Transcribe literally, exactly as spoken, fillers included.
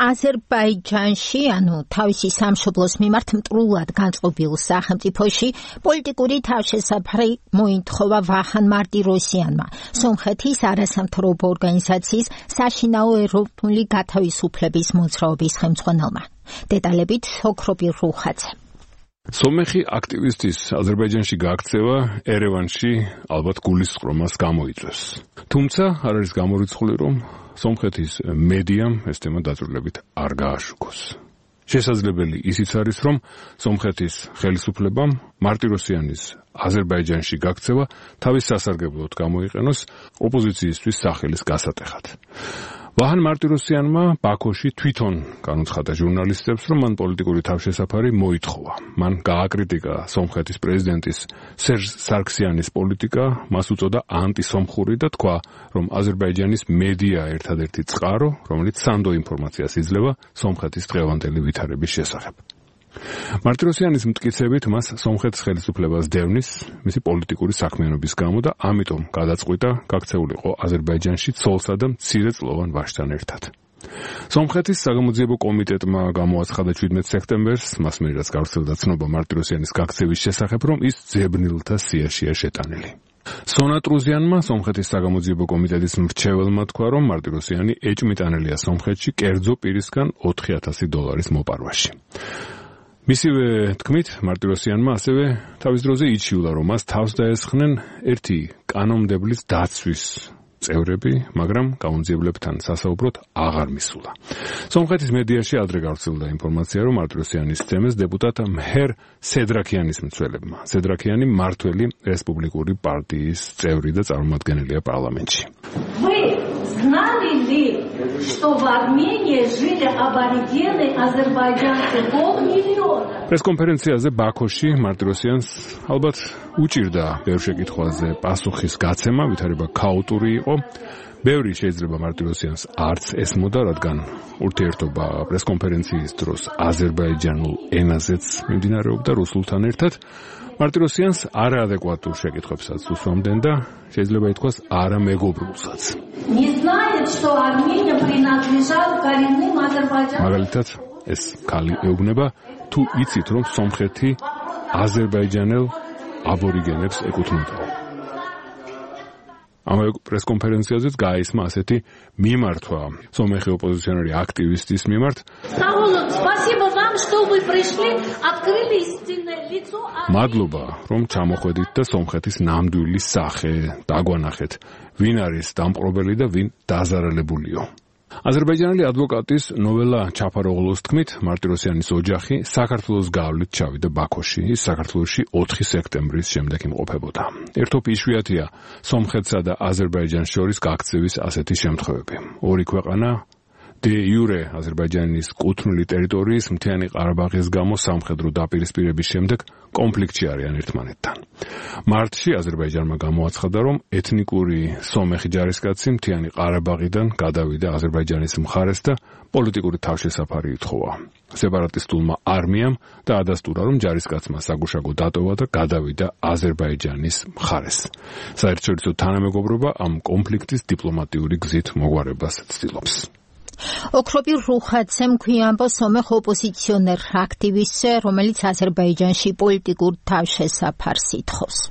აზერბაიჯანში, ანუ თავისი სამშობლოს მიმართ მტრულად განწყობილ სახელმწიფოში პოლიტიკური თავშესაფარი მოითხოვა ვაჰან მარტიროსიანმა, სომხეთის არასამთავრობო ორგანიზაციის საშინაო ეროვნული გათავისუფლების მოძრაობის ხელმძღვანელმა. დეტალებით ოქროპირ რუხაძე. სომეხი აქტივისტის აზერბაიჯანში გაქცევა ერევანში ალბათ გულისწყრომას გამოიწვევს. თუმცა არ არის გამორიცხული, რომ სომხეთის მედიამ ეს თემა დაწვრილებით არ გააშუქოს. შესაძლებელი ისიც არის, რომ სომხეთის ხელისუფლებამ მარტიროსიანის აზერბაიჯანში გაქცევა თავის სასარგებლოდ გამოიყენოს ოპოზიციისთვის სახელის გასატეხად. ვაჰან მარტიროსიანმა ბაქოში თვითონ განუცხადა ჟურნალისტებს, რომ მან პოლიტიკური თავშესაფარი მოითხოვა. მან გააკრიტიკა სომხეთის პრეზიდენტის სერჟ სარქსიანის პოლიტიკა, მას უწოდა ანტისომხური და თქვა, რომ აზერბაიჯანის მედია ერთადერთი წყარო, რომელიც სანდო ინფორმაციას იძლევა სომხეთის დღევანდელი ვითარების შესახებ. მარტიროსიანის მტკიცებით მას სომხეთის ხელისუფლებას დევნის მისი პოლიტიკური საქმიანობის გამო და ამიტომ გადაწყვიტა გაქცეულიყო აზერბაიჯანში ცოლსა და მცირეწლოვან ვაჟთან ერთად. სომხეთის საგამოძიებო კომიტეტმა გამოაცხადა შვიდმეტ სექტემბერს, მას მიერ რაც გავრცელდა ცნობა მარტიროსიანის გაქცევის შესახებ, რომ ის ძებნილთა სიაშია შეტანილი. სონატრუზიანმა, სომხეთის საგამოძიებო კომიტეტის მრჩეველმა თქვა, რომ მარტიროსიანი ეჭმიტანელია სომხეთში კერძო პირისგან ოთხი ათასი დოლარის მოპარვაში. მისივე თქმით, მარტიროსიანმა ასევე თავის დროზე იჩიულა, რომ მას თავს დაესხნენ ერთი კანონმდებლის დაცვის წევრები, მაგრამ გამომძიებლებთან სასაუბროდ აღარ მისულა. სომხეთის მედიაში ადრე გავრცელდა ინფორმაცია, რომ მარტიროსიანის თემეს დეპუტატ მჰერ სედრაქიანის მცველებმა. სედრაქიანი მმართველი რესპუბლიკური პარტიის წევრი და წარმომადგენელია პარლამენტში. Знали ли, что в Армении жили аборигены азербайджанцы полмиллиона? პრესკონფერენციაზე ბაქოში მარტიროსიანს ალბათ უჭირდა ბევრ შეკითხვაზე პასუხის გაცემა, ვითარება ქაოტური იყო. ბევრი შეიძლება მარტიროსიანს არც ესმოდა, რადგან ურთიერთობა პრესკონფერენციის დროს აზერბაიჯანულ ენაზეც მიმდინარეობდა რუსულთან ერთად. მარტიროსიანს არაადეკვატურ შეკითხვებსაც უსვამდნენ და შეიძლება ითქვას არამეგობრულსაც. მაგალითად, ეს ქალი ეუბნება, თუ იცით, რომ სომხეთი აზერბაიჯანელ აბორიგენებს ეკუთვნოდა. ამავე პრესკონფერენციაზეც გაისმა ასეთი მიმართვა სომეხი ოპოზიციონერი აქტივისტის მიმართ. მადლობა, რომ ჩამოხვედით და სომხეთის ნამდვილი სახე დაგვანახეთ, ვინ არის დამპყრობელი და ვინ დაზარალებულიო. აზერბაიჯანელი ადვოკატის ნოველა ჩაფაროღლუს თქმით, მარტიროსიანის ოჯახი საქართველოს გავლით ჩავიდა ბაქოში, ის საქართველოში ოთხი სექტემბრის შემდეგ იმყოფებოდა. ერთობ იშვიათია სომხეთსა და აზერბაიჯანს შორის გაქცევის ასეთი შემთხვევები. ორი ქვეყანა დე იურე აზერბაიჯანის კუთვნილი ტერიტორიის მთიანი ყარაბაღის გამო სამხედრო დაპირისპირების შემდეგ კონფლიქტში არიან ერთმანეთთან. მარტში აზერბაიჯანმა გამოაცხადა, რომ ეთნიკური სომეხი ჯარისკაცი მთიანი ყარაბაღიდან გადავიდა აზერბაიჯანის მხარეს და პოლიტიკური თავშესაფარი ითხოვა. სეპარატისტულმა არმიამ და ადასტურა, რომ ჯარისკაცმა საგუშაგო დატოვა და გადავიდა აზერბაიჯანის მხარეს. საერთაშორისო თანამეგობრობა ამ კონფლიქტის დიპლომატიური გზით მოგვარებას ცდილობს. ოქროპირ რუხაძემ გვიამბო სომეხ ოპოზიციონერ აქტივისტზე, რომელიც აზერბაიჯანში პოლიტიკურ თავშესაფარს ითხოვს.